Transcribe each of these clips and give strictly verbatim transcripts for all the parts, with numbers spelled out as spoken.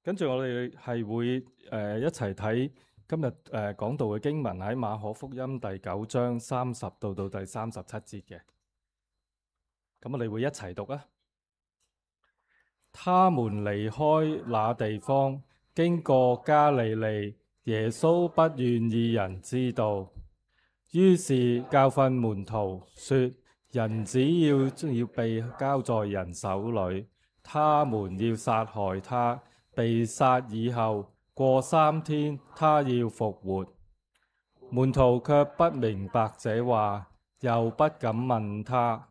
跟住我哋係會誒、呃、一齊睇今日誒、呃、講道嘅經文喺馬可福音第九章三十到到第三十七節嘅。咁我哋會一齊讀啊。他們離開那地方，經過加利利，耶穌不願意人知道，於是教訓門徒說：人子要要被交在人手裏，他們要殺害他，被殺以後過三天，他要復活。門徒卻不明白這話，又不敢問他。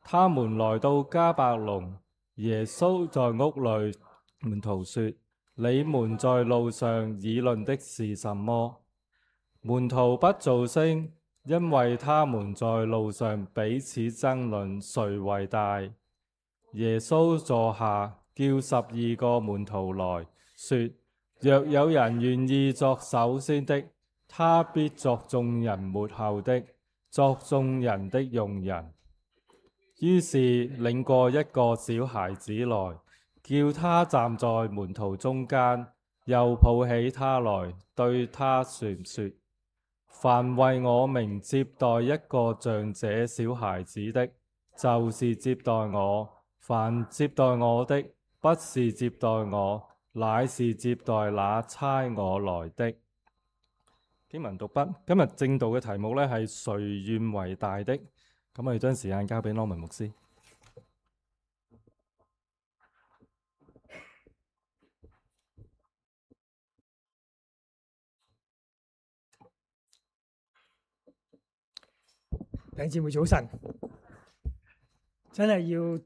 他們來到迦百農，耶穌在屋裏，門徒說：你們在路上議論的是什麼？門徒不造聲，因為他們在路上彼此爭論誰為大。耶穌坐下，叫十二個門徒來說：若有人願意作首先的，他必作眾人末後的，作眾人的用人。於是領過一個小孩子來，叫他站在門徒中間，又抱起他來，對他說說：凡為我名接待一個像這小孩子的，就是接待我；凡接待我的，不是接待我，乃是接待那差我來的。經文讀畢。今日正道嘅題目呢係誰願為大的？咁我哋將時間交俾羅文牧師。弟兄姊妹早晨，真係要誒、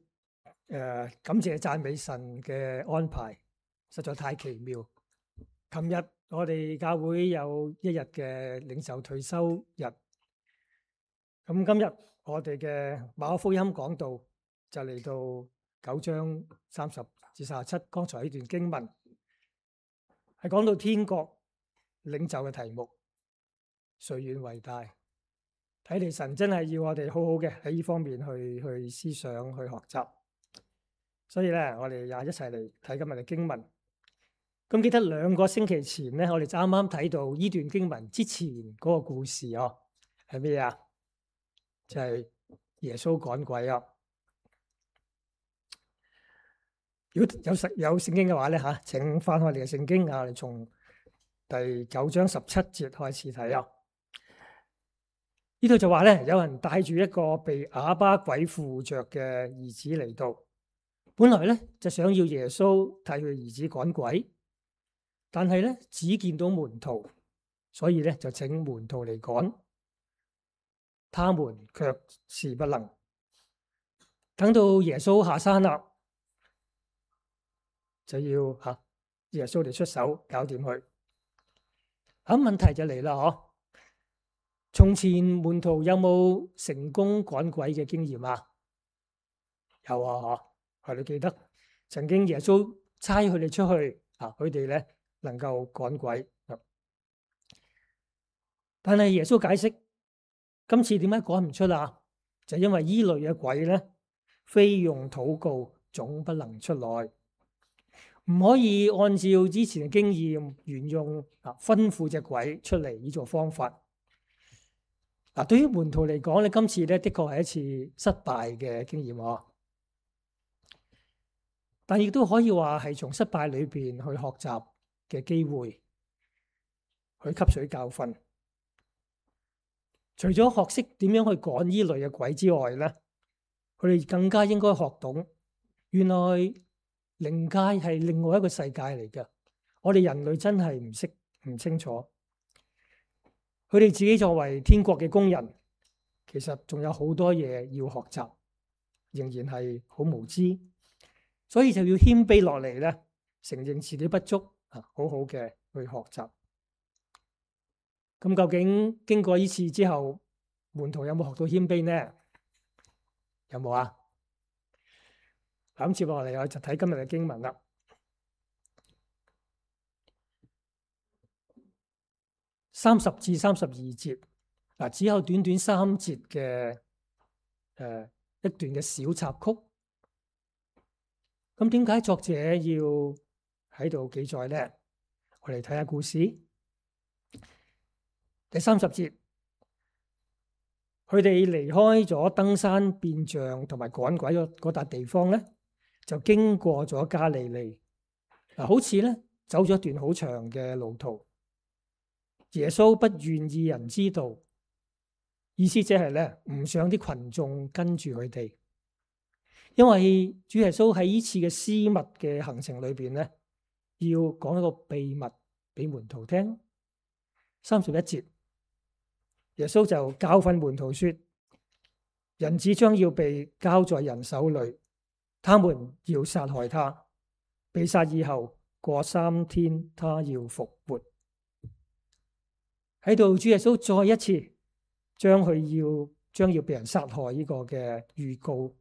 呃、感謝讚美神嘅安排，實在太奇妙。琴日我哋教會有一日嘅領袖退休日，咁今日我哋嘅馬可福音講道就嚟到九章三十至三十七，剛才呢段經文係講到天國領袖嘅題目，誰願為大？睇嚟神真係要我哋好好嘅喺呢方面去去思想去學習，所以咧我哋又一齊嚟睇今日嘅經文。咁記得兩個星期前咧，我哋就啱啱睇到呢段經文之前嗰個故事哦，係咩啊？就係耶穌趕鬼啊！如果有實有聖經嘅話咧吓，請翻開你嘅聖經啊，我哋從第九章十七節開始睇啊。呢度就話咧，有人帶住一個被啞巴鬼附着嘅兒子嚟到，本來咧就想要耶穌替佢兒子趕鬼，但係咧只見到門徒，所以咧就請門徒嚟趕，他們卻是不能。等到耶穌下山啦，就要吓耶穌嚟出手搞掂佢。咁問題就嚟啦，嗬？從前門徒有冇成功趕鬼嘅經驗啊？有啊，嗬，係你記得曾經耶穌差佢哋出去啊，佢哋咧能夠趕鬼。但係耶穌解釋，今次點解趕唔出啊？就因為依類嘅鬼咧，非用禱告總不能出來，唔可以按照之前嘅經驗沿用啊吩咐隻鬼出嚟呢種方法。嗱，對於門徒嚟講咧，今次咧的確係一次失敗嘅經驗喎，但亦都可以話係從失敗裏邊去學習嘅機會，去吸取教訓。除咗學識點樣去趕呢類嘅鬼之外咧，佢哋更加應該學懂，原來靈界係另外一個世界嚟嘅，我哋人類真係唔識唔清楚。佢哋自己作為天國嘅工人，其實仲有好多嘢要學習，仍然係好無知，所以就要謙卑落嚟咧，承認自己不足啊，好好嘅去學習。咁究竟經過呢次之後，門徒有冇學到謙卑呢？有冇啊？咁接落嚟我就睇今日嘅經文啦。三十至三十二節，嗱，只有短短三節嘅誒一段嘅小插曲。咁點解作者要喺度記載咧？我哋睇下故事。第三十節，佢哋離開咗登山變像同埋趕鬼嗰嗰笪地方咧，就經過咗加利利。嗱，好似咧走咗一段好長嘅路途。耶穌不願意人知道，意思即係咧唔想啲群眾跟住佢哋，因為主耶穌喺呢次嘅私密嘅行程裏邊咧，要講一個秘密俾門徒聽。三十一節，耶穌就教訓門徒說：人子將要被交在人手裏，他們要殺害他，被殺以後過三天，他要復活。喺度，主耶穌再一次將佢要將要被人殺害呢個嘅預告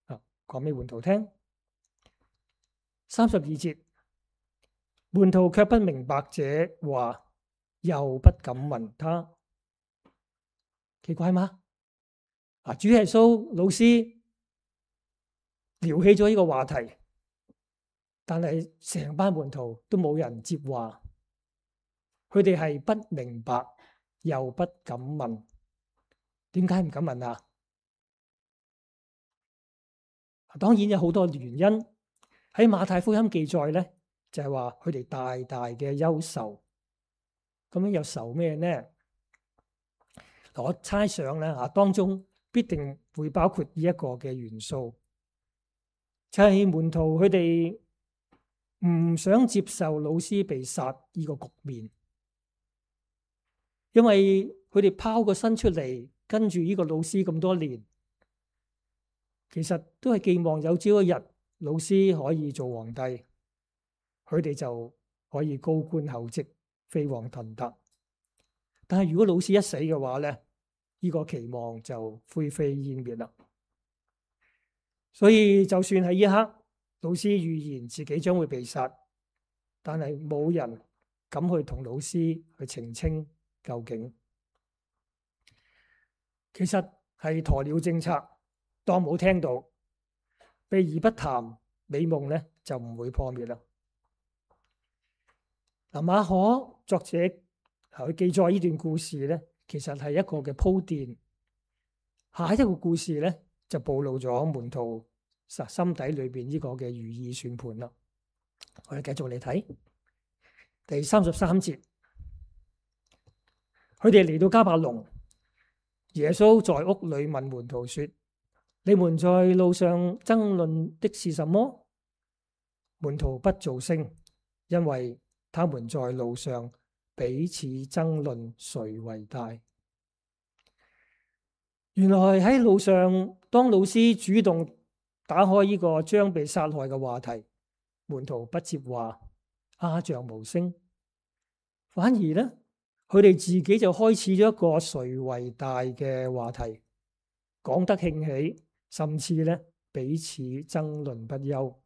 啊，講俾門徒聽。三十二節，門徒卻不明白這話，又不敢問他。奇怪嗎？啊，主耶穌老師撩起咗呢個話題，但係成班門徒都冇人接話，佢哋係不明白又不敢問。點解唔敢問啊？當然有好多原因。喺馬太福音記載咧，就係話佢哋大大嘅憂愁。咁樣又愁咩呢？我猜想咧啊，當中必定會包括呢一個嘅元素，就係門徒佢哋唔想接受老師被殺呢個局面，因為佢哋拋個身出嚟跟住呢個老師咁多年，其實都係寄望有朝一日老師可以做皇帝，佢哋就可以高官厚職、飛黃騰達。但係如果老師一死嘅話咧，呢個期望就灰飛煙滅啦。所以就算喺呢一刻，老師預言自己將會被殺，但係冇人敢去同老師去澄清究竟。其實係鴕鳥政策，當冇聽到，避而不談，美夢咧就唔會破滅啦。嗱，馬可作者佢記載呢段故事咧，其實係一個嘅鋪墊。下一個故事咧就暴露咗門徒實心底裏邊呢個嘅如意算盤啦。我哋繼續嚟睇第三十三節，佢哋嚟到迦百農，耶穌在屋裏問門徒說：你們在路上爭論的是什麼？門徒不作聲，因為他們在路上彼此爭論誰為大。原來喺路上，當老師主動打開呢個將被殺害嘅話題，門徒不接話，鴉雀無聲，反而呢，佢哋自己就開始咗一個誰為大嘅話題，講得興起，甚至呢彼此爭論不休。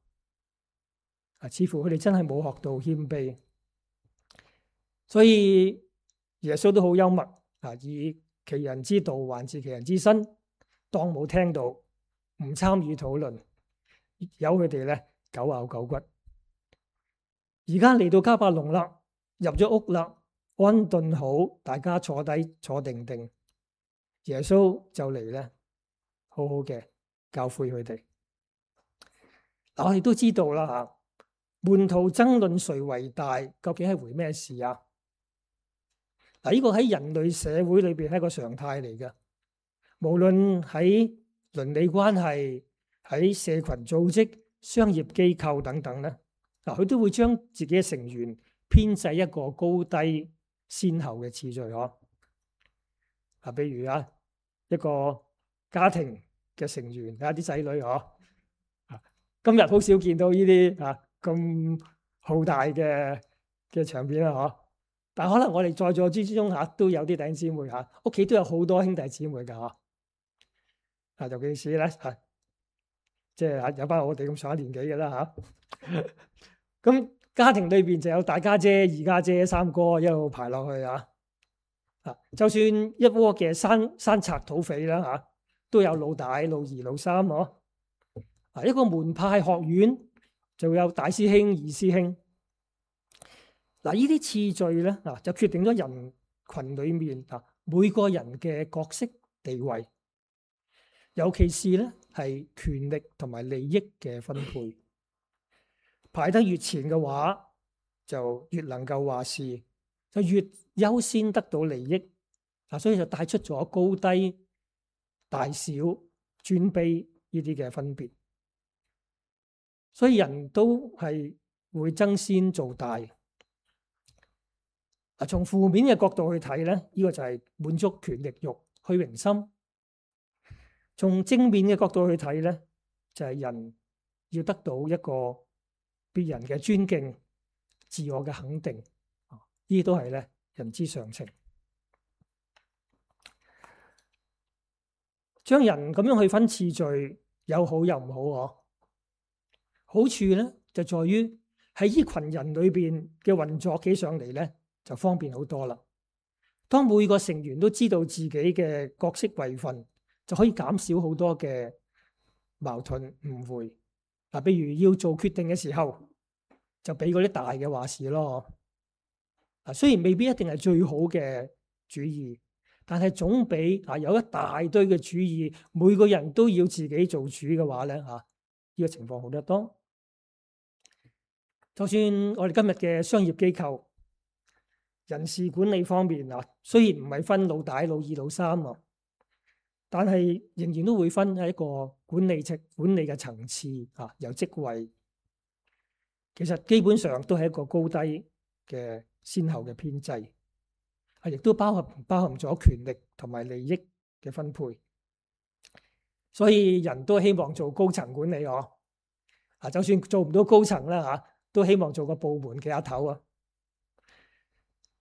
啊，似乎佢哋真係冇學到謙卑。所以耶穌都好幽默啊，以其人之道還治其人之身，當冇聽到，唔參與討論，由佢哋咧狗咬狗骨。而家嚟到迦百農啦，入咗屋啦，安頓好，大家坐低坐定定，耶穌就嚟咧，好好嘅教誨佢哋。嗱，我哋都知道啦吓，門徒爭論誰為大，究竟係回咩事啊？嗱，呢個喺人類社會裏邊係一個常態嚟嘅，無論喺倫理關係、喺社群組織、商業機構等等咧，嗱，佢都會將自己嘅成員編制一個高低先後嘅次序嗬。啊，比如啊，一個家庭嘅成員啊，啲仔女嗬，啊，今日好少見到呢啲啊咁浩大嘅嘅場面啦嗬。但可能我哋在座之中嚇都有啲弟兄姊妹嚇，屋企都有好多兄弟姊妹㗎嚇。啊，尤其是咧嚇，即係嚇有班我哋咁上一年紀嘅啦嚇。咁家庭裏邊就有大家姐、二家姐、三哥一路排落去啊。啊，就算一窩嘅山山賊土匪啦嚇，都有老大、老二、老三嗬。啊，一個門派學院就有大師兄、二師兄。嗱，呢啲次序咧，嗱就決定咗人群裏面啊每個人嘅角色地位，尤其是咧係權力同埋利益嘅分配。排得越前嘅話，就越能夠話事，就越優先得到利益。嗱，所以就帶出咗高低、大小、尊卑呢啲嘅分別。所以人都係會爭先做大。啊，從負面嘅角度去睇咧，呢個就係滿足權力慾、虛榮心。從正面嘅角度去睇咧，就係人要得到一個別人嘅尊敬、自我嘅肯定。呢啲都係咧人之常情。將人咁樣去分次序，有好有唔好嗬。好處咧就在於喺呢群人裏邊嘅運作起上嚟咧，就方便好多啦。當每個成員都知道自己嘅角色位份，就可以減少好多嘅矛盾誤會。嗱，譬如要做決定嘅時候，就俾嗰啲大嘅話事咯。嗱，雖然未必一定係最好嘅主意，但係總比啊有一大堆嘅主意，每個人都要自己做主嘅話咧嚇，呢個情況好得多。就算我哋今日嘅商業機構人事管理方面啊，雖然唔係分老大、老二、老三啊，但係仍然都會分喺一個管理層管理嘅層次啊，有職位。其實基本上都係一個高低嘅先後嘅編制，係亦都包含包含咗權力同埋利益嘅分配。所以人都希望做高層管理哦。啊，就算做唔到高層啦嚇，都希望做個部門嘅阿頭啊。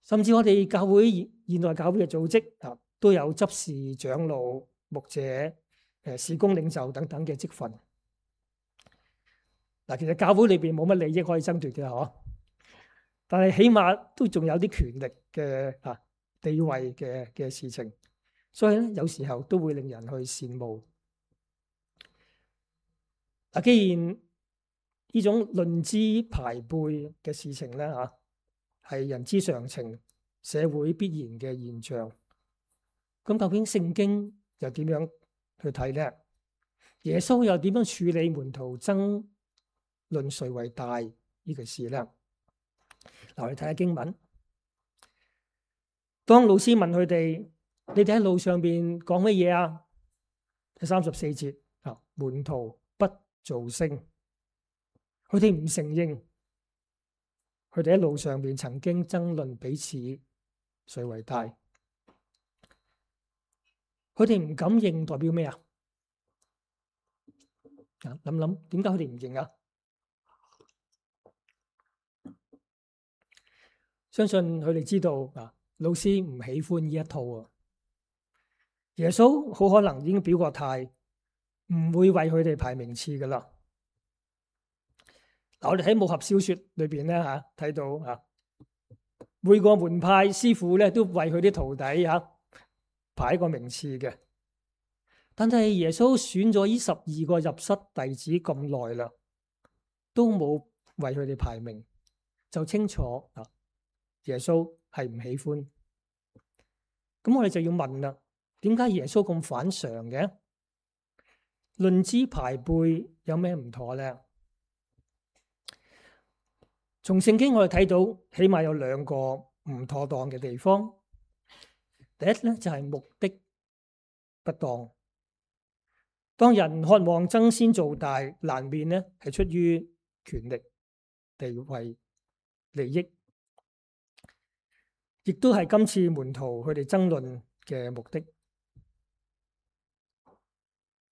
甚至我哋教會現代教會嘅組織啊，都有執事、長老、牧者、誒事工領袖等等嘅職份。嗱，其實教會裏邊冇乜利益可以爭奪嘅嗬，但係起碼都仲有啲權力嘅啊地位嘅嘅事情，所以咧有時候都會令人去羨慕。嗱，既然呢種論資排輩嘅事情咧嚇係人之常情、社會必然嘅現象，咁究竟聖經又點樣去睇咧？耶穌又點樣處理門徒爭論誰為大呢個事咧？嗱，我哋睇下經文。當老師問佢哋：你哋喺路上邊講乜嘢啊？第三十四節啊，門徒不造聲。佢哋唔承認，佢哋喺路上邊曾經爭論彼此誰為大。佢哋唔敢認，代表咩啊？啊，諗諗點解佢哋唔認啊？相信佢哋知道啊，老師唔喜歡呢一套啊。耶穌好可能已經表過態，唔會為佢哋排名次噶啦。嗱，我哋喺武俠小說裏邊咧吓睇到吓，每個門派師傅咧都為佢啲徒弟吓排一個名次嘅。但係耶穌選咗呢十二個入室弟子咁耐啦，都冇為佢哋排名，就清楚啊，耶穌係唔喜歡。咁我哋就要問啦，點解耶穌咁反常嘅？論資排輩有咩唔妥咧？從聖經我哋睇到，起碼有兩個唔妥當嘅地方。第一咧就係目的不當。當人渴望爭先做大，難免咧係出於權力、地位、利益，亦都係今次門徒佢哋爭論嘅目的。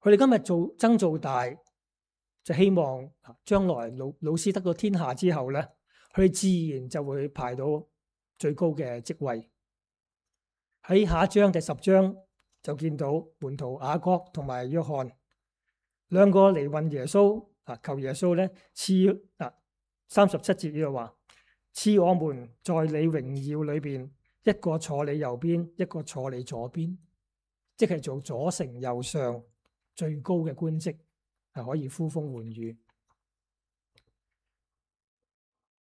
佢哋今日做爭做大，就希望將來老老師得到天下之後咧，佢自然就會排到最高嘅職位。喺下一章第十章就見到門徒雅各同埋約翰兩個嚟問耶穌啊，求耶穌咧賜啊三十七節呢度話賜我們在你榮耀裏邊，一個坐你右邊，一個坐你左邊，即係做左丞右相最高嘅官職，係可以呼風喚雨。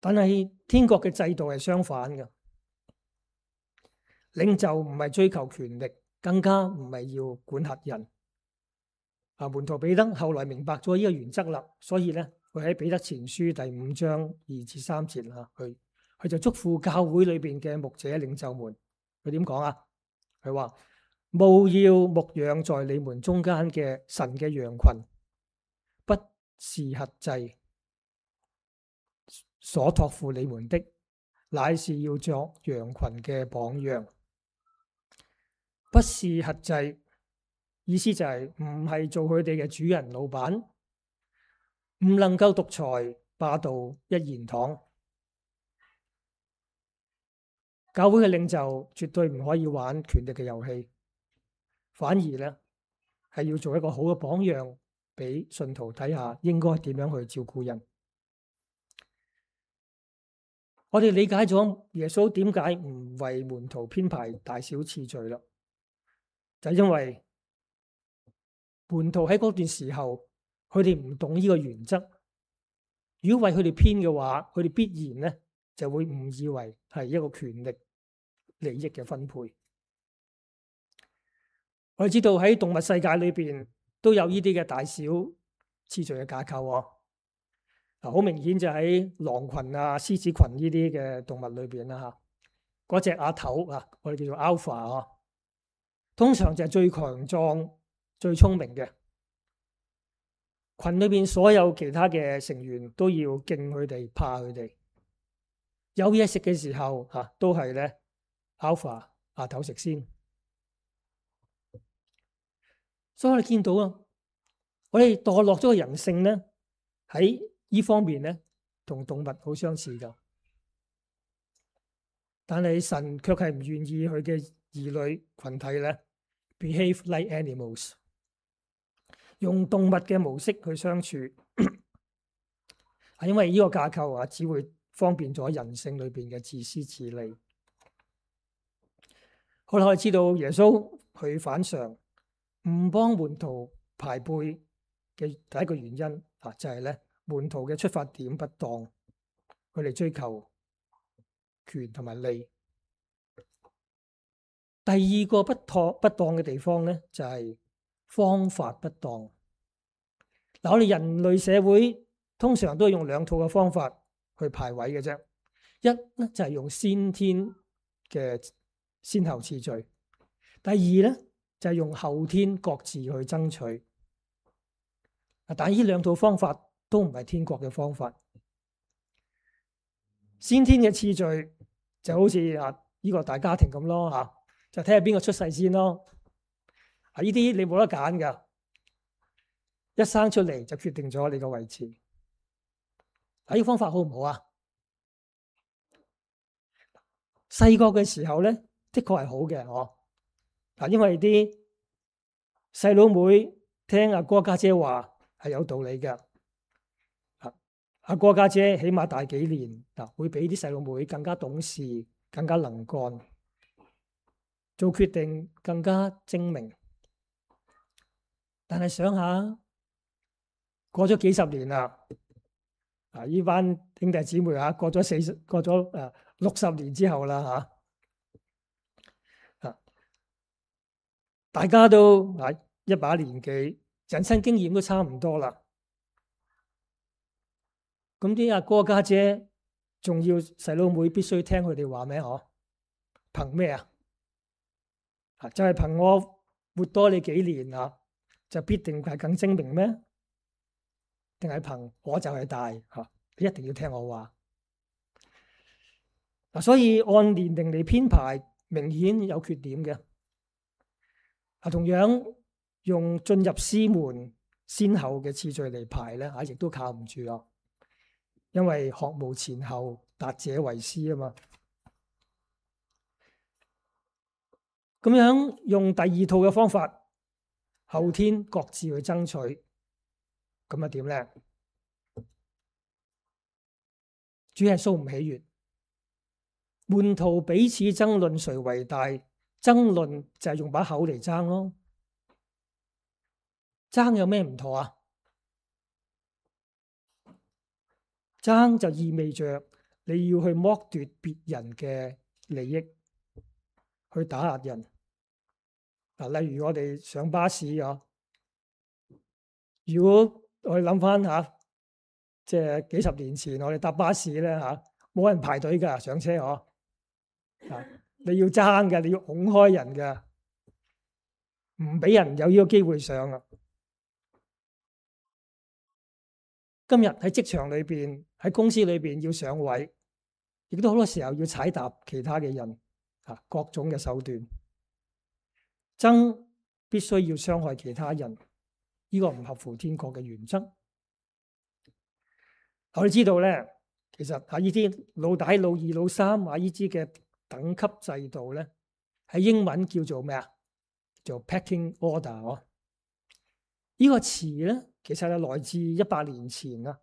但係天國嘅制度係相反嘅，領袖唔係追求權力，更加唔係要管轄人。啊，門徒彼得後來明白咗呢個原則啦，所以咧，佢喺彼得前書第五章二至三節啊，佢佢就囑咐教會裏邊嘅牧者領袖們，佢點講啊？佢話：務要牧養在你們中間嘅神嘅羊群，不是轄制所託付你們的，乃是要作羊群嘅榜樣。不是轄制，意思就係唔係做佢哋嘅主人老闆，唔能夠獨裁霸道一言堂。教會嘅領袖絕對唔可以玩權力嘅遊戲，反而咧係要做一個好嘅榜樣，俾信徒睇下應該點樣去照顧人。我哋理解咗耶穌點解唔為門徒編排大小次序啦，就係因為門徒喺嗰段時候，佢哋唔懂呢個原則。如果為佢哋編嘅話，佢哋必然咧就會誤以為係一個權力利益嘅分配。我哋知道喺動物世界裏邊都有呢啲嘅大小次序嘅架構喎。嗱，好明顯就喺狼群啊、獅子群呢啲嘅動物裏邊啦嚇。嗰隻阿頭啊，我哋叫做 Alpha 啊，通常就係最強壯、最聰明嘅。群裏邊所有其他嘅成員都要敬佢哋、怕佢哋。有嘢食嘅時候嚇、啊，都係咧 Alpha 阿頭食先。所以我哋見到啊，我哋墮落咗嘅人性咧，喺呢方面咧，同動物好相似噶。但係神卻係唔願意佢嘅兒女群體咧 behave like animals， 用動物嘅模式去相處，係因為呢個架構啊，只會方便咗人性裏邊嘅自私自利。好啦，我哋知道耶穌佢反常唔幫門徒排輩嘅第一個原因啊，就係咧門徒嘅出發點不當，佢哋追求權同埋利。第二個不妥不當嘅地方咧，就係方法不當。嗱，我哋人類社會通常都係用兩套嘅方法去排位嘅啫。一咧就係用先天嘅先後次序，第二咧就係用後天各自去爭取。但係呢兩套方法都唔係天國嘅方法。先天嘅次序就好似啊呢個大家庭咁咯吓，就睇下邊個出世先咯。啊，呢啲你冇得揀噶，一生出嚟就決定咗你個位置。啊，呢個方法好唔好啊？細個嘅時候咧，的確係好嘅，嗬。嗱，因為啲細佬妹聽阿哥家姐話係有道理嘅。啊，阿哥家姐起碼大幾年，嗱，會比啲細佬妹更加懂事，更加能幹，做決定更加精明。但係想下，過咗幾十年啦，啊，呢班兄弟姊妹啊，過咗四十，過咗誒六十年之後啦，吓，啊，大家都啊一把年紀，人生經驗都差唔多啦。咁啲阿哥家姐仲要細佬妹必須聽佢哋話咩？嗬，憑咩啊？啊，就係憑我活多你幾年啊，就必定係更精明咩？定係憑我就係大吓，你一定要聽我話。嗱，所以按年齡嚟編排，明顯有缺點嘅。啊，同樣用進入師門先後嘅次序嚟排咧，吓亦都靠唔住啊。因為學無前後，達者為師啊嘛。咁樣用第二套嘅方法，後天各自去爭取。咁啊點咧？主耶穌唔喜悅，門徒彼此爭論誰為大，爭論就係用把口嚟爭咯。爭有咩唔妥啊？爭就意味着你要去剝奪別人嘅利益，去打壓人。嗱，例如我哋上巴士啊，如果我哋諗翻下，即係幾十年前我哋搭巴士咧嚇，冇人排隊㗎上車嗬，啊，你要爭嘅，你要拱開人嘅，唔俾人有呢個機會上啊。今日喺職場裏邊，喺公司裏邊要上位，亦都好多時候要踩踏其他嘅人，啊，各種嘅手段，爭必須要傷害其他人，呢個唔合乎天國嘅原則。我哋知道咧，其實喺呢啲老大、老二、老三啊呢啲嘅等級制度咧，喺英文叫做咩啊？做 pecking order 哦。呢個詞咧，其實係來自一百年前啊，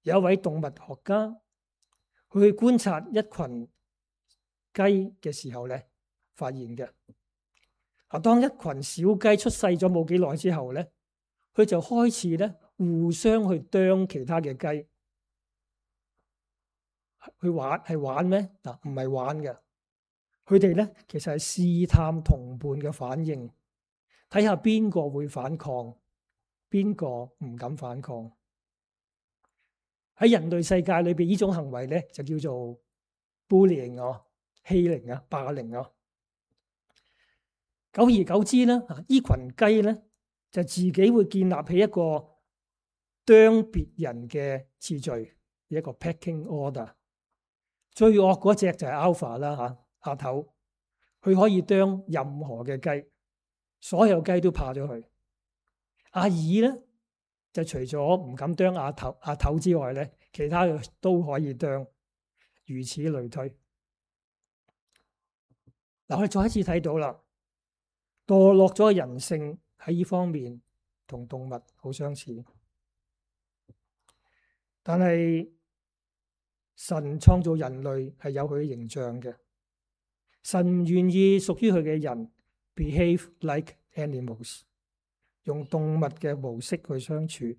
有一位動物學家去觀察一群雞嘅時候咧，發現嘅。啊，當一群小雞出世咗冇幾耐之後咧，佢就開始咧互相去啄其他嘅雞，去玩係玩咩？嗱，唔係玩嘅，佢哋咧其實係試探同伴嘅反應，睇下邊個會反抗。邊個唔敢反抗？喺人類世界裏邊，呢種行為咧就叫做 bullying 哦，欺凌啊，霸凌啊。久而久之咧，呢群雞咧就自己會建立起一個啄別人嘅次序，一個 pecking order。最惡嗰隻就係 alpha 啦嚇，阿頭，佢可以啄任何嘅雞，所有雞都怕咗佢。阿二咧就除咗唔敢啄阿頭阿頭之外咧，其他嘅都可以啄，如此類推。嗱，我哋再一次睇到啦，墮落咗嘅人性喺呢方面同動物好相似，但係神創造人類係有佢嘅形象嘅，神唔願意屬於佢嘅人 behave like animals。用動物嘅模式去相處，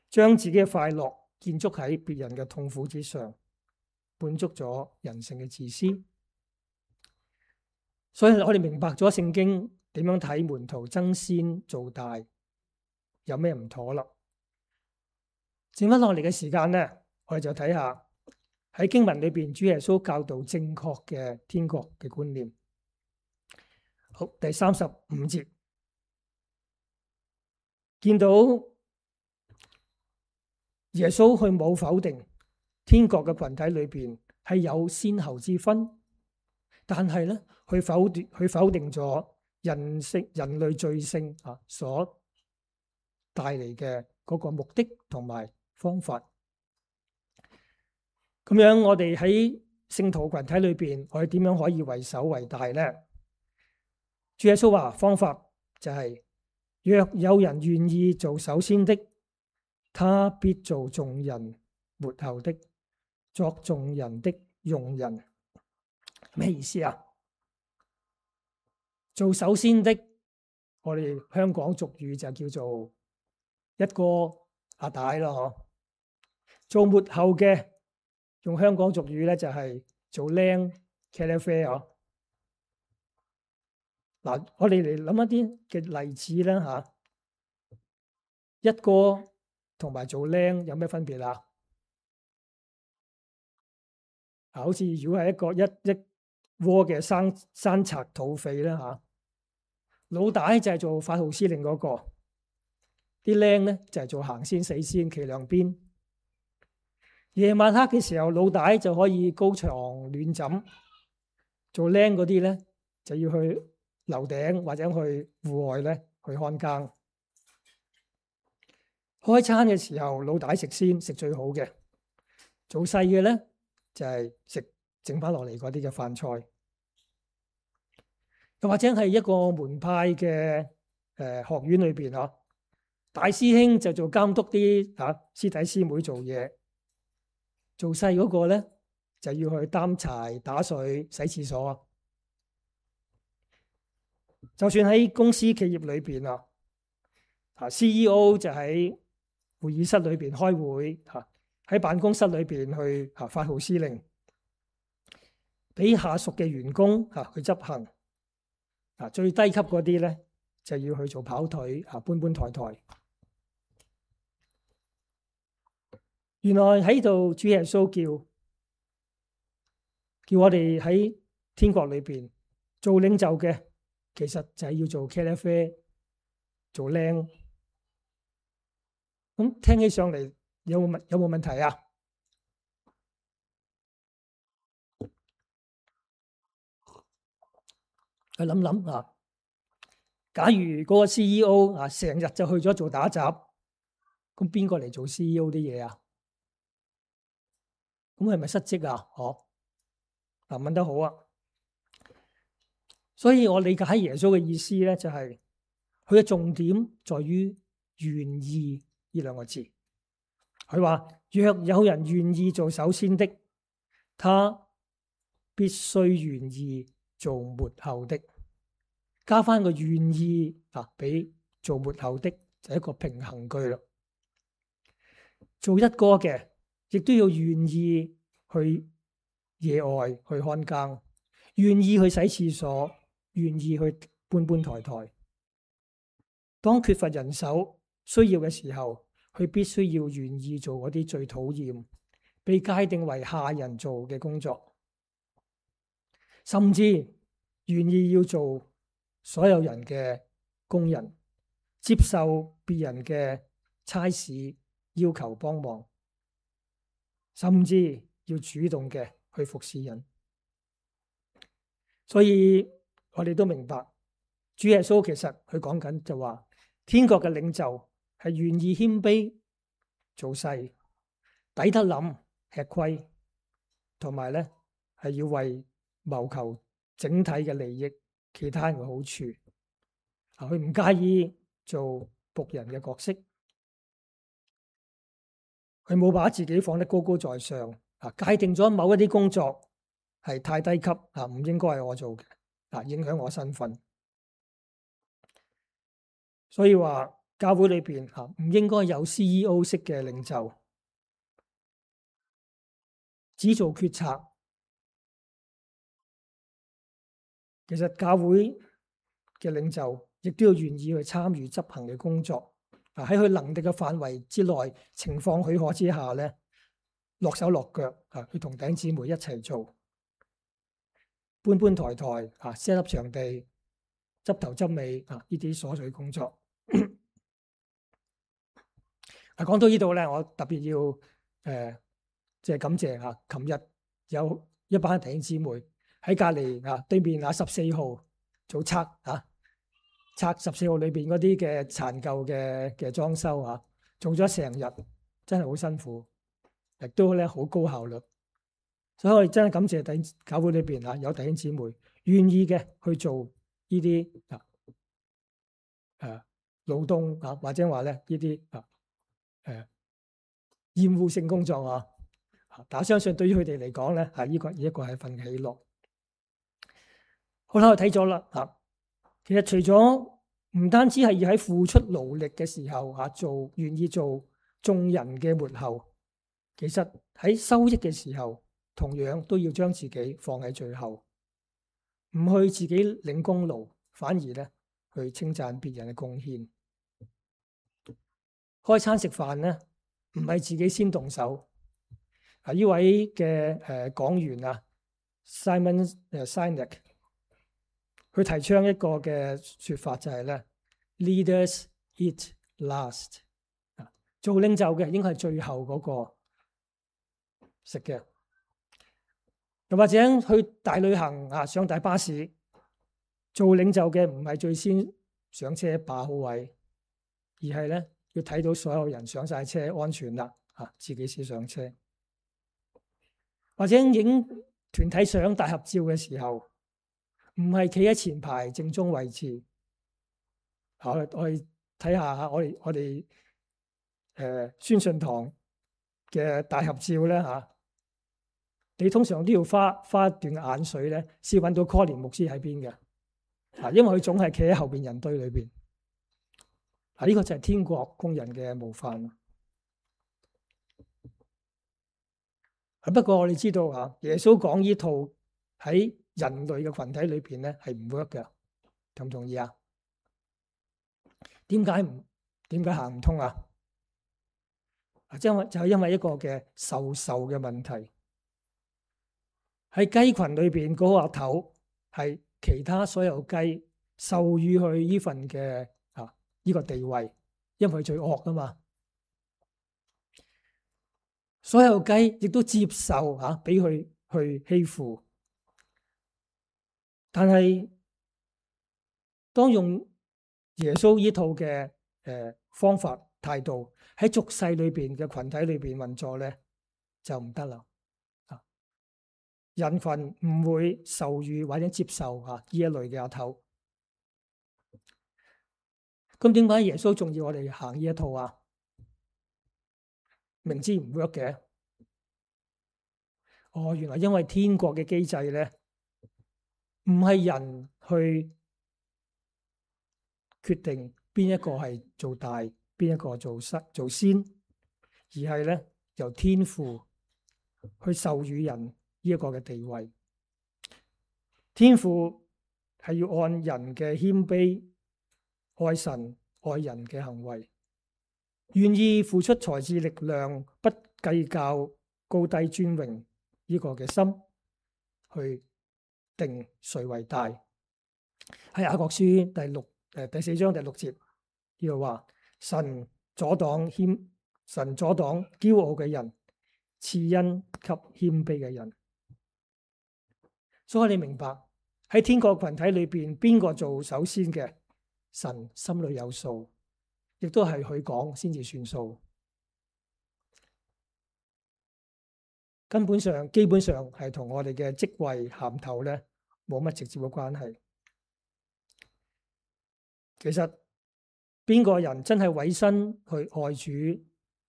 將自己嘅快樂建築喺別人嘅痛苦之上，滿足咗人性嘅自私。所以我哋明白咗聖經點樣睇門徒爭先做大，有咩唔妥啦？剩翻落嚟嘅時間呢，我哋就睇下喺經文裏邊主耶穌教導正確嘅天國嘅觀念。好，第三十五節。見到耶穌佢冇否定天國嘅群體裏邊係有先後之分，但係咧佢否定佢否定咗人性人類罪性啊所帶嚟嘅嗰個目的同埋方法。咁樣我哋喺聖徒群體裏邊，我哋點樣可以為首為大咧？主耶穌話方法就係、是。若有人願意做首先的，他必做眾人末後的，作眾人的用人。咩意思啊？做首先的，我哋香港俗語就叫做一哥阿大咯，嗬。做末後嘅，用香港俗語咧就係做僆茄喱啡嗬。嗱，我哋嚟諗一啲嘅例子啦嚇。一哥同埋做僆有咩分別啊？啊，好似如果係一個一一窩嘅生生賊土匪啦嚇，老大就係做發號施令嗰個，啲僆咧就係做行先死先企兩邊。夜晚黑嘅時候，老大就可以高床暖枕，做僆嗰啲咧就要去樓頂或者去戶外咧去看更。開餐嘅時候，老大食先，食最好嘅。做細嘅咧就係食剩翻落嚟嗰啲嘅飯菜。又或者係一個門派嘅誒學院裏邊嗬，大師兄就做監督啲嚇師弟師妹做嘢。做細嗰個咧就要去擔柴、打水、洗廁所。就算喺公司企業裏邊啊，啊 C E O 就喺會議室裏邊開會嚇，喺辦公室裏邊去啊發號施令，俾下屬嘅員工啊去執行。啊，最低級嗰啲咧就要去做跑腿啊，搬搬抬抬。原來喺度主耶穌叫叫我哋喺天國裏邊做領袖嘅，其實就係要做茄喱啡，做靚。咁聽起上嚟有冇問有冇問題啊？去諗諗啊！假如嗰個 C E O 啊成日就去咗做打雜，咁邊個嚟做 C E O 啲嘢啊？咁係咪失職啊？嗬？嗱，問得好啊！所以我理解耶穌嘅意思咧，就係佢嘅重點在於願意呢兩個字。佢話：若有人願意做首先的，他必須願意做末後的。加翻個願意啊，俾做末後的就係一個平衡句啦。做一哥嘅，亦都要願意去野外去看更，願意去洗廁所，願意去搬搬抬抬。當缺乏人手需要嘅時候，佢必須要願意做嗰啲最討厭、被界定為下人做嘅工作，甚至願意要做所有人嘅工人，接受別人嘅差事要求幫忙，甚至要主動嘅去服侍人。所以我哋都明白，主耶穌其實佢講緊就話，天國嘅領袖係願意謙卑做細，抵得諗吃虧，同埋咧係要為謀求整體嘅利益，其他人嘅好處。啊，佢唔介意做僕人嘅角色，佢冇把自己放得高高在上。啊，界定咗某一啲工作係太低級，啊，唔應該係我做嘅，啊，影響我身份。所以話教會裏邊啊，唔應該有 C E O 式嘅領袖，只做決策。其實教會嘅領袖亦都要願意去參與執行嘅工作。啊，喺佢能力嘅範圍之內，情況許可之下咧，落手落腳啊，去同弟兄姊妹一齊做，搬搬抬抬啊，set up場地、執頭執尾啊，呢啲瑣碎工作。啊，講到呢度咧，我特別要誒，即、呃、係、就是、感謝啊！琴日有一班弟兄姊妹喺隔離啊，對面啊十四號做拆啊，拆十四號裏邊嗰啲嘅殘舊嘅嘅裝修啊，做咗成日，真係好辛苦，亦都咧好高效率。所以我哋真係感謝弟教會裏邊啊，有弟兄姊妹願意嘅去做呢啲啊誒勞動啊，或者話咧呢啲啊。誒，厭惡性工作啊，但我相信對於佢哋嚟講咧，係呢個呢一個係份喜樂。好啦，我睇咗啦，吓，其實除咗唔單止係要喺付出勞力嘅時候吓做，願意做眾人嘅末後，其實喺收益嘅時候，同樣都要將自己放喺最後，唔去自己領功勞，反而咧去稱讚別人嘅貢獻。開餐食飯咧，唔係自己先動手。啊，呢位嘅誒講員啊 ，Simon 誒 Sinek，佢提倡一個嘅說法就係咧 ，Leaders eat last。啊，做領袖嘅應該係最後嗰個食嘅。又或者去大旅行啊，上大巴士，做領袖嘅唔係最先上車把好位，而係咧。要睇到所有人上晒車安全啦，啊，自己先上車。或者影團體相大合照嘅時候，唔係企喺前排正中位置。我我哋睇下我哋我哋誒宣信堂嘅大合照咧吓，你通常都要花花一段眼水咧，先揾到 Colin 牧師喺邊嘅。啊，因為佢總係企喺後邊人堆裏邊。啊！呢個就係天國工人嘅模範。不過我哋知道啊，耶穌講呢套喺人類嘅群體裏邊咧係唔 work 嘅，同唔同意啊？點解唔點解行唔通啊？啊，因為就係因為一個嘅授受嘅問題。喺雞群裏邊嗰個阿頭係其他所有雞授予佢呢份嘅啊呢個地位，因為佢最惡啊嘛。所有雞亦都接受吓俾佢去欺負，但係當用耶穌呢套嘅誒方法態度喺俗世裏邊嘅群體裏邊運作咧，就唔得啦。啊，人群唔會授予或者接受吓呢一類嘅阿頭。咁點解耶穌仲要我哋行呢一套啊？明知唔 work 嘅。哦，原來因為天國嘅機制咧，唔係人去決定邊一個係做大，邊一個做失做先，而係咧由天父去授予人呢一個嘅地位。天父係要按人嘅謙卑、愛神愛人嘅行為，願意付出才智力量，不計較高低尊榮呢個嘅心，去定誰為大。喺雅各書第六誒第四章第六節呢度話：神阻擋謙神阻擋驕傲嘅人，賜恩給謙卑嘅人。所以你明白喺天國群體裏邊，邊個做首先嘅，神心裏有數，亦都係佢講先至算數。根本上基本上係同我哋嘅職位銜頭咧冇乜直接嘅關係。其實邊個人真係委身去愛主、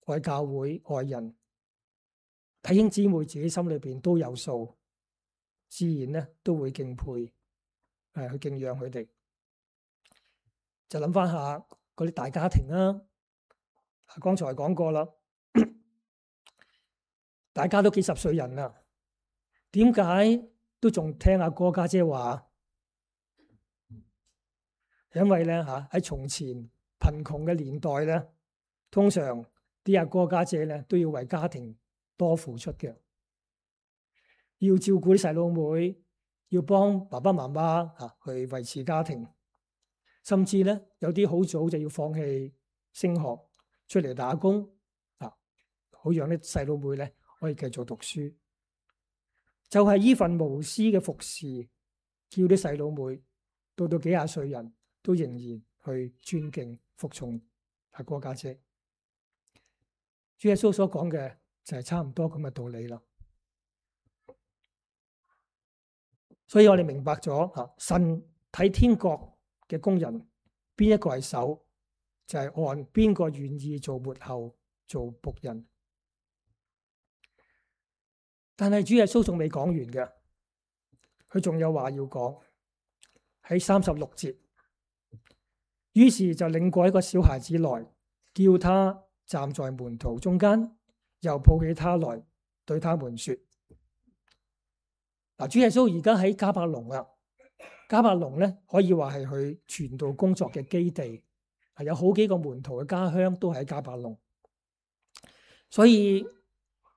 愛教會、愛人，弟兄姊妹自己心裏邊都有數，自然咧都會敬佩，誒去敬仰佢哋。就諗翻下嗰啲大家庭啦，剛才講過啦，大家都幾十歲人啦，點解都仲聽阿哥家姐話？因為咧嚇喺從前貧窮嘅年代咧，通常啲阿哥家姐咧都要為家庭多付出嘅，要照顧啲細佬妹，要幫爸爸媽媽嚇去維持家庭，甚至咧有啲好早就要放棄升學出嚟打工啊，好讓啲細佬妹咧可以繼續讀書。就係呢份無私嘅服侍，叫啲細佬妹到到幾廿歲人都仍然去尊敬服從阿哥家姐。主耶穌所講嘅就係差唔多咁嘅道理啦。所以我哋明白咗吓，神睇天國嘅工人邊一個係首，就係按邊個願意做末後做僕人。但係主耶穌仲未講完嘅，佢仲有話要講喺三十六節。於是就領過一個小孩子來，叫他站在門徒中間，又抱起他來，對他們說：嗱，主耶穌而家喺迦百農啦。迦百農咧可以話係佢傳道工作嘅基地，係有好幾個門徒嘅家鄉都喺迦百農，所以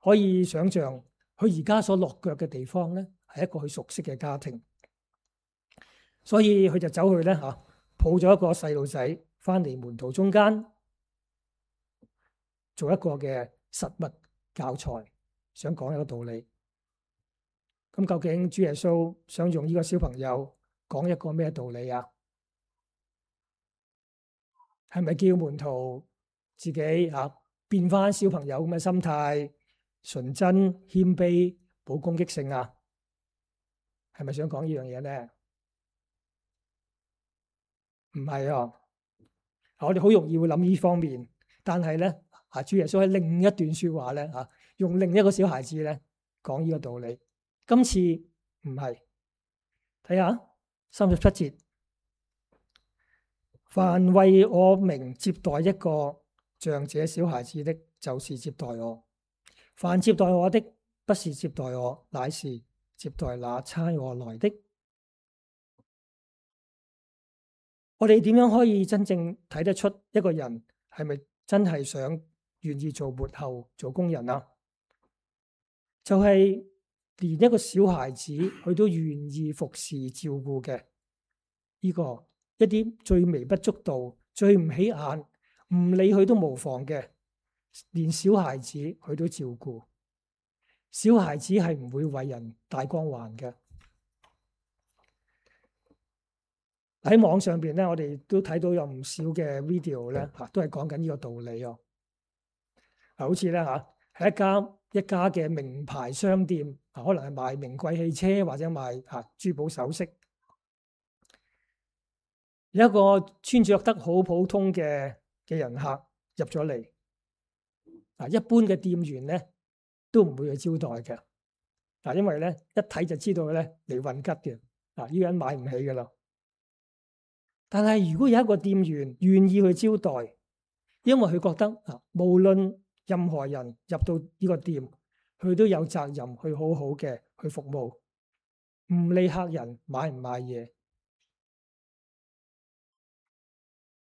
可以想象佢而家所落腳嘅地方咧係一個佢熟悉嘅家庭，所以佢就走去咧吓，抱咗一個細路仔翻嚟門徒中間，做一個嘅實物教材，想講一個道理。咁究竟主耶穌想用呢個小朋友講一個咩道理啊？係咪叫門徒自己啊變翻小朋友咁嘅心態，純真謙卑，冇攻擊性啊？係咪想講呢樣嘢咧？唔係啊！我哋好容易會諗呢方面，但係咧啊，主耶穌喺另一段說話咧啊，用另一個小孩子咧講呢個道理。今次唔係，睇下三十七節，凡為我名接待一個像這小孩子的，就是接待我；凡接待我的，不是接待我，乃是接待那差我來的。我哋點樣可以真正睇得出一個人係咪真係想願意做末後做工人啊？就係、是、連一個小孩子佢都願意服侍照顧嘅，呢、這個一啲最微不足道、最唔起眼、唔理佢都無妨嘅，連小孩子佢都照顧。小孩子係唔會為人帶光環嘅。喺網上邊咧，我哋都睇到有唔少嘅 video 咧，嚇都係講緊呢個道理哦。啊，好似咧嚇，係一家一家嘅名牌商店，啊，可能係賣名貴汽車或者賣嚇珠寶首飾。有一個穿着得好普通嘅嘅人客入咗嚟，啊，一般嘅店員咧都唔會去招待嘅，啊，因為咧一睇就知道咧嚟運吉嘅，啊，呢個人買唔起噶啦。但係如果有一個店員願意去招待，因為佢覺得啊，無論任何人入到呢個店，佢都有責任去好好嘅去服務，唔理客人買唔買嘢。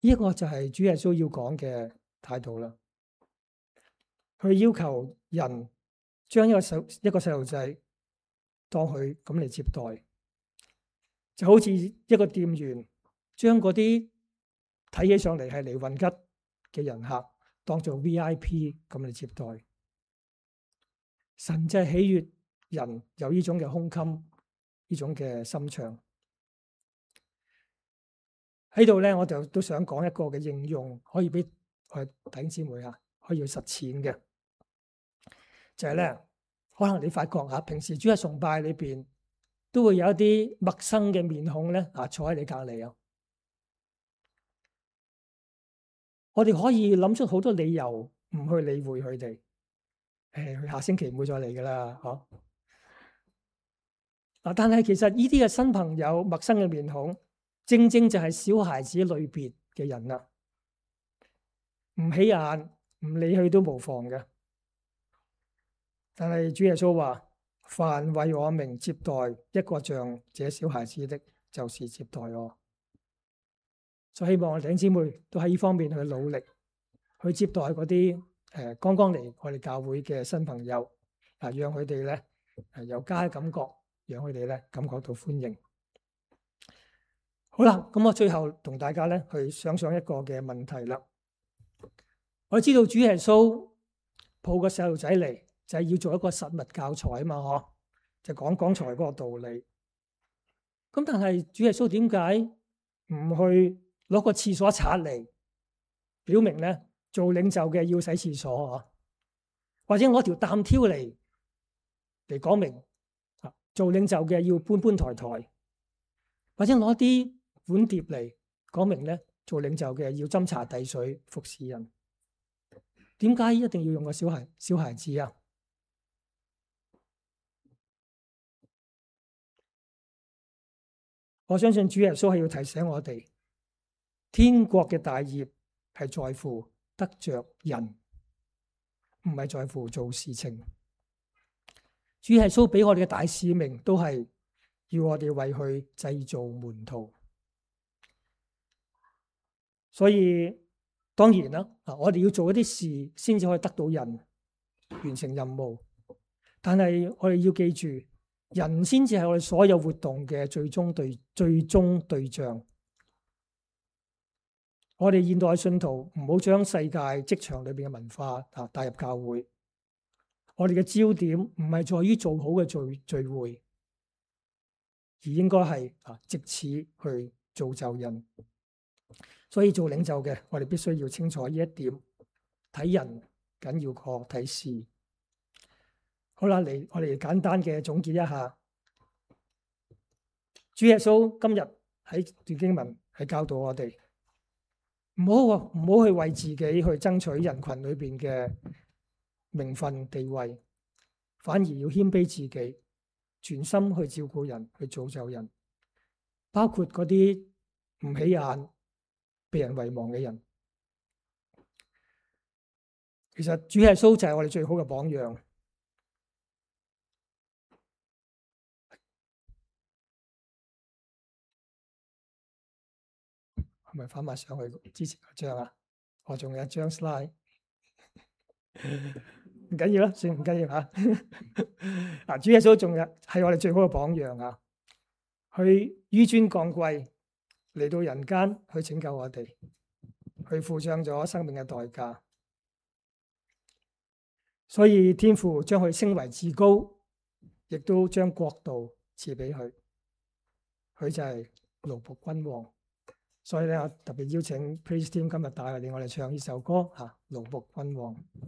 呢個就係主耶穌要講嘅態度啦。佢要求人將一個細一個細路仔當佢咁嚟接待，就好似一個店員將嗰啲睇起上嚟係嚟運吉嘅人客當做 V I P 咁嚟接待。神就係喜悅人有呢種嘅胸襟，呢種嘅心腸。喺度咧，我就都想講一個嘅應用，可以俾我弟兄姊妹啊，可以去實踐嘅，就係咧，可能你發覺啊，平時主日崇拜裏邊都會有一啲陌生嘅面孔咧啊，坐喺你隔籬啊。我哋可以諗出好多理由唔去理會佢哋，誒，佢下星期唔會再嚟噶啦，嗬。嗱，但係其實呢啲嘅新朋友、陌生嘅面孔，正正就係小孩子類別嘅人啦，唔起眼，唔理佢都無妨嘅。但係主耶穌話：凡為我名接待一個像這小孩子的，就是接待我。就希望我哋弟兄姊妹都喺呢方面去努力，去接待嗰啲誒剛剛嚟我哋教會嘅新朋友，啊，讓佢哋咧誒有家嘅感覺，讓佢哋咧感覺到歡迎。好啦，咁我最後同大家咧去想想一個嘅問題啦。我知道主耶穌抱個細路仔嚟，就係要做一個實物教材啊嘛，嗬，就講剛才嗰個道理。咁但係主耶穌點解唔去攞個廁所刷嚟，表明咧做領袖嘅要洗廁所啊？或者攞條擔挑嚟嚟講明啊，做領袖嘅要搬搬抬抬，或者攞啲碗碟嚟講明咧，做領袖嘅要斟茶遞水服侍人。點解一定要用個小孩小孩子啊？我相信主耶穌係要提醒我哋，天國嘅大業係在乎得着人，唔係在乎做事情。主耶穌俾我哋嘅大使命都係要我哋為佢製造門徒。所以當然啦，啊，我哋要做一啲事先至可以得到人，完成任務。但係我哋要記住，人先至係我哋所有活動嘅最終對最終對象。我哋現代信徒唔好將世界職場裏邊嘅文化啊帶入教會。我哋嘅焦點唔係在於做好嘅聚聚會，而應該係啊藉此去造就人。所以做領袖嘅，我哋必須要清楚呢一點，睇人緊要過睇事。好啦，嚟我哋簡單嘅總結一下。主耶穌今日喺段經文係教導我哋，唔好唔好去為自己去爭取人群裏邊嘅名分地位，反而要謙卑自己，全心去照顧人，去造就人，包括嗰啲唔起眼、被人遺忘嘅人。其實主耶穌就係我哋最好嘅榜樣。係咪翻埋上去之前嗰張啊？我仲有一張 slide，唔緊要啦，算唔緊要嚇。嗱，主耶穌仲有係我哋最好嘅榜樣啊！去紆尊降貴嚟到人間去拯救我哋，去付上咗生命嘅代價。所以天父將佢升為至高，亦都將國度賜俾佢。佢就係奴僕君王。所以咧，我特別邀請 Praise Team 今日帶嚟我哋唱呢首歌嚇，奴僕君王。